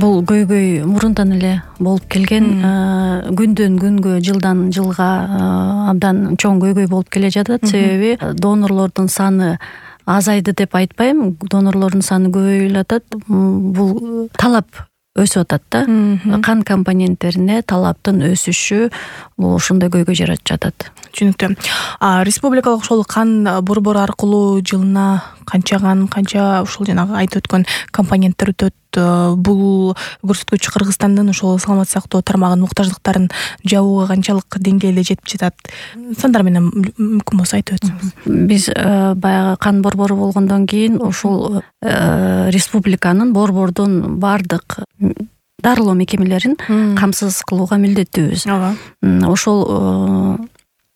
Бул көйгөй мурундан эле болуп келген, күндөн күнгө, жылдан жылга абдан чоң көйгөй болуп келе жатат. Себеби донорлордун саны азайды деп айтпайм, донорлордун саны көбөйүп атат. Бул талап өсүп атат да. Кан компоненттерине талаптын өсүшү бул ошондой көйгөй жаратып жатат. Түшүнүктүү. Республикалык ошол кан борбору аркылуу жылына канча ушул жанагы айтып өткөн компоненттер өтөт. Бул көрсөткүч Кыргызстандын ошол саламаттык сактоо тармагынын муктаждыктарын жабууга канчалык деңгээлде жетип жатат? Сандар менен мүмкүн болсо айтып өтсөңүз. Биз баягы кан борбору болгондон кийин ушул республиканын борбордун бардык дарылоо мекемелерин камсыз кылууга милдеттүүбүз.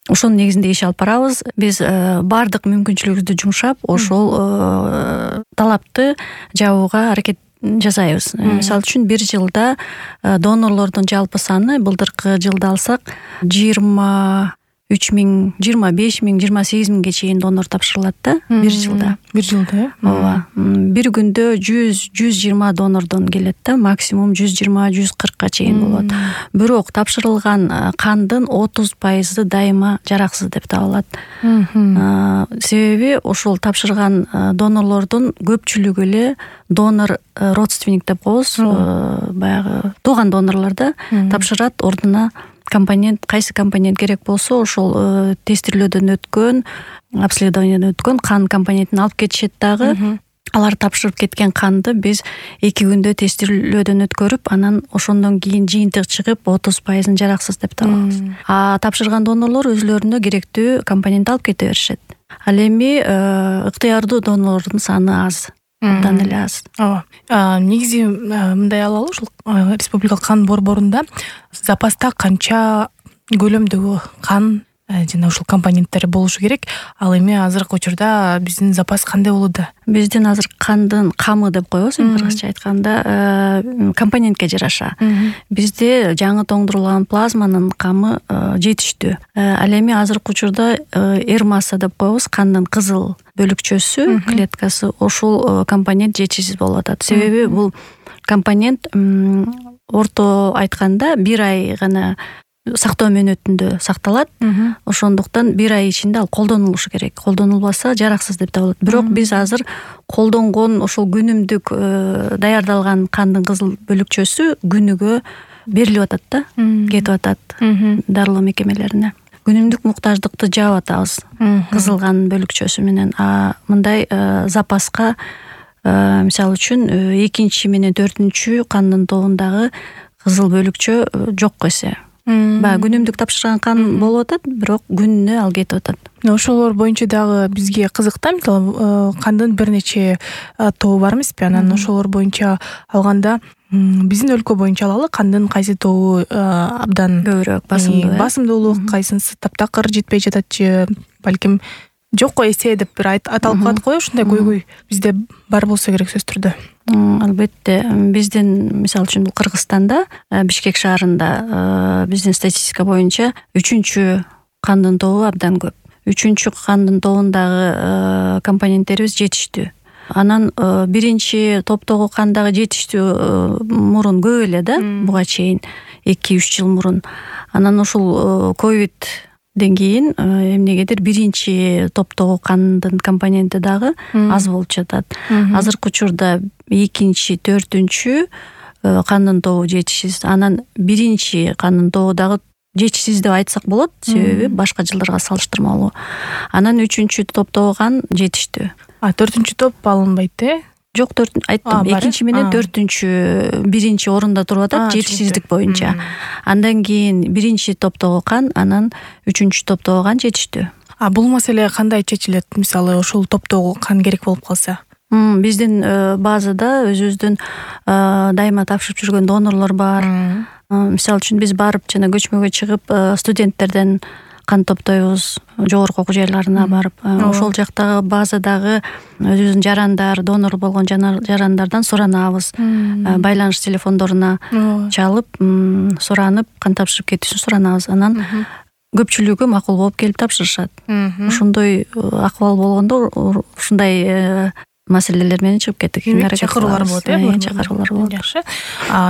Ошонун негизинде иш алып барабыз. Биз бардык мүмкүнчүлүгүбүздү жумшап ошол талапты жабууга аракет жасайбыз. Мисалы үчүн бир жылда донорлордун жалпы саны былтыркы жылда алсак 23 000, 25 000, 28 000ге чейин донор тапшырылат да бир жылда. Бир жылда, ооба. Бир күндө 100-120 донордон келет да, максимум 120-140ка чейин болот. Бирок тапшырылган кандын 30% дайыма жараксыз деп табылат. Себеби ошол тапшырган донорлордун көпчүлүгү эле донор родственник деп коебуз, баягы тууган донорлор да, тапшырат ордуна кайсы компонент керек болсо ошол тестирлөөдөн өткөн, обследованиядан өткөн кан компонентин алып кетишет дагы. Алар тапшырып кеткен канды биз 2 күндө тестирлөөдөн өткөрүп, анан ошондон кийин жыйынтык чыгып 30% жараксыз деп табабыз. Тапшырган донорлор өзлөрүнө керектүү компонент алып кете беришет. Ал эми ыктыярдуу донорлордун саны аз. Абдан эле аз. Негизи мындай алалы, ушул республикалык кан борборунда запаста канча көлөмдөгү кан жана ушул компоненттер болушу керек. Ал эми азыркы учурда биздин запас кандай болууда? Биздин азыр кандын камы деп коебуз, кыргызча айтканда, компонентке жараша. Бизде жаңы тоңдурулган плазманын камы жетиштүү. Ал эми азыркы учурда R-масса деп коебуз, кандын кызыл бөлүкчөсү, клеткасы, ошол компонент жетишсиз болуп атат. Себеби бул компонент орто айтканда 1 ай гана сактоо мөөнөтүндө сакталат. Ошондуктан 1 ай ичинде ал колдонулушу керек. Колдонулбаса жараксыз деп табылат. Бирок биз азыр колдонгон ошол күнүмдүк даярдалган кандын кызыл бөлүкчөсү күнүгө берилип атат да, кетип атат дарылоо мекемелерине. Күнүмдүк муктаждыкты жаап атабыз кызыл кан бөлүкчөсү менен. Мындай запаска мисалы үчүн 2 менен 4 кандын тобундагы кызыл бөлүкчө жок эсе. Баягы күнүмдүк тапшырган кан болуп атат, бирок күнүнө ал кетип атат. Ошолор боюнча дагы бизге кызык да, мисалы кандын бир нече тобу бар эмеспи? Анан ошолор боюнча алганда биздин өлкө боюнча алалы, кандын кайсы тобу абдан көбүрөөк басымдуулук, кайсынысы таптакыр жетпей жататчы, балким жок эсе деп бир аталып калат го, ушундай көйгөй бизде бар болсо керек сөзсүз түрдө. Албетте, биздин мисалы үчүн Кыргызстанда, Бишкек шаарында биздин статистика боюнча 3-чү кандын тобу абдан көп. 3-чү кандын тобундагы компоненттерибиз жетиштүү. Анан 1-чи топтогу кандагы жетиштүү мурун көп эле да, буга чейин 2-3 жыл мурун. Анан ушул ковидден кийин эмнегедир 1-чи топтогу кандын компоненти дагы аз болуп жатат. Азыркы учурда 2-чи, 4-чү кандын тобу жетишсиз. Анан 1-чи кандын тобу дагы жетишсиз деп айтсак болот, себеби башка жылдарга салыштырмалуу. Анан 3-чү топтогу кан жетиштүү. 4-чү топ алынбайт, Жок, айттым, 2-чи менен 4-чү 1-чи орунда туруп атат жетишсиздик боюнча. Андан кийин 1-чи топтогу кан, анан 3-чү топтогу кан жетиштүү. Бул маселе кандай чечилет? Мисалы, ошол топтогу кан керек болуп калса? Биздин базада өзүбүздүн дайыма тапшырып жүргөн донорлор бар. Мисалы үчүн биз барып жана көчмөгө чыгып студенттерден кан топтойбуз, жогорку окуу жайларына барып. Ошол жактагы базадагы өзүбүздүн жарандар, донор болгон жарандардан суранабыз. Байланыш телефондоруна чалып, суранып, кан тапшырып кетүүсүн суранабыз. Анан көпчүлүгү макул болуп келип тапшырышат. Ошондой акыбал болгондо, ушундай маселелер менен чыгып кеттик. Чакыруулар болот, чакыруулар болот. Жакшы.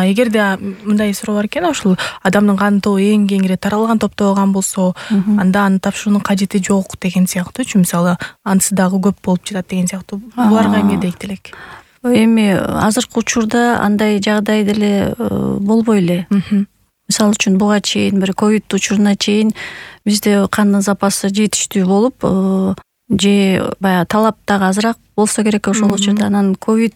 Эгерде мындай суроо бар экен, ушул адамдын кан тобу эң кеңири таралган топто болгон болсо, анда аны тапшыруунун кажети жок деген сыяктуучу. Мисалы, анысы дагы көп болуп жатат деген сыяктуу. Буларга эмне дейт элек? Эми азыркы учурда андай жагдай деле болбой эле. Мисалы үчүн буга чейин бир ковид учуруна чейин бизде кандын запасы жетиштүү болуп, же баягы талап дагы азыраак болсо керек ошол учурда. Анан ковид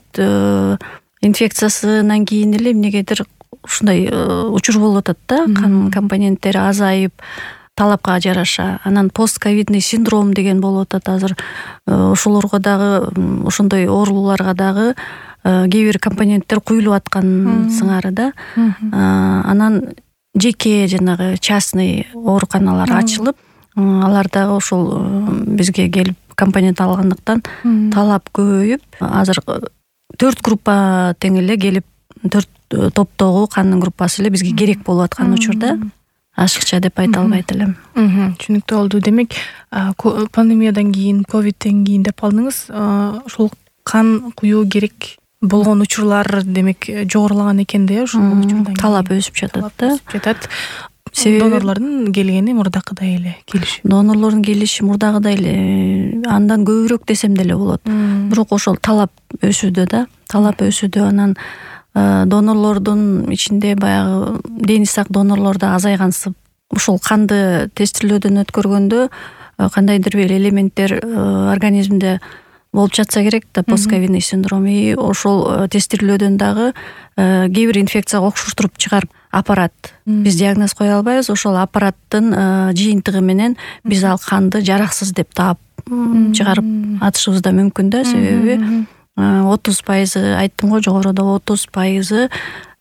инфекциясынан кийин эле эмнегедир ушундай учур болуп атат да, кан компоненттери азайып, талапка жараша. Анан постковидный синдром деген болуп атат азыр. Ошолорго дагы, ошондой ооруларга дагы кээ бир компоненттер куюлуп аткан сыңары да. Анан жеке жанагы частный ооруканалар ачылып, алар дагы ошол бизге келип компонент алгандыктан талап көбөйүп, азыр 4 группа тең эле келип, 4 топтогу кандын группасы эле бизге керек болуп аткан учурда ашыкча деп айта албайт элем. Түшүнүктүү болду. Демек, пандемиядан кийин, ковидтен кийин деп алдыңыз, ошол кан куюу керек болгон учурлар демек жогорулаган экен да, ошол учурдан талап өсүп жатат да. Донорлордун келгени мурдакыдай эле келиши. Донорлордун келиши мурдагыдай эле, андан көбүрөөк десем деле болот. Бирок ошол талап өсүүдө да, талап өсүүдө. Анан донорлордун ичинде баягы дени сак донорлор да азайгансып, ошол канды тестирлөөдөн өткөргөндө кандайдыр бир элементтер организмде болуп жатса керек да, постковидный синдром. И ошол тестирлөөдөн дагы кээ бир инфекцияга окшоштуруп чыгарып аппарат. Биз диагноз кое албайбыз, ошол аппараттын жыйынтыгы менен биз ал канды жараксыз деп таап чыгарып атышыбыз да мүмкүн да. Себеби 30% айттым го, жогоруда 30%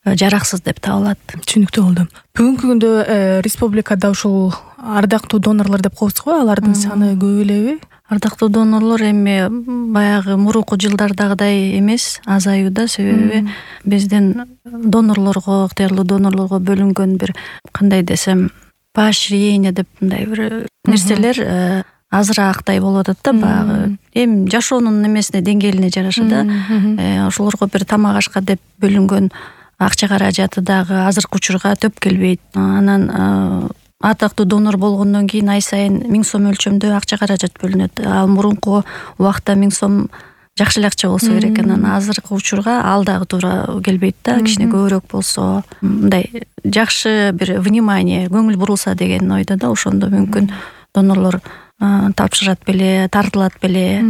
жараксыз деп табылат. Түшүнүктүү болду. Бүгүнкү күндө республикада ушул ардактуу донорлор деп коебуз го, алардын саны көп элеби? Ардактуу донорлор эми баягы мурунку жылдардагыдай эмес, азаюуда. Себеби биздин донорлорго, ыктыярлуу донорлорго бөлүнгөн бир, кандай десем, поощрение деп мындай бир нерселер азыраактай болуп атат да. Баягы эми жашоонун эмесине, деңгээлине жараша да. Ошолорго бир тамак ашка деп бөлүнгөн акча каражаты дагы азыркы учурга төп келбейт. Анан ардактуу донор болгондон кийин ай сайын 1000 сом өлчөмдө акча каражат бөлүнөт. Ал мурунку убакта 1000 сом жакшы эле акча болсо керек. Анан азыркы учурга ал дагы туура келбейт да. Кичине көбүрөөк болсо, мындай жакшы бир внимание, көңүл бурулса деген ойдо да. Ошондо мүмкүн донорлор тапшырат беле, тартылат беле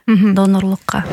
донорлукка.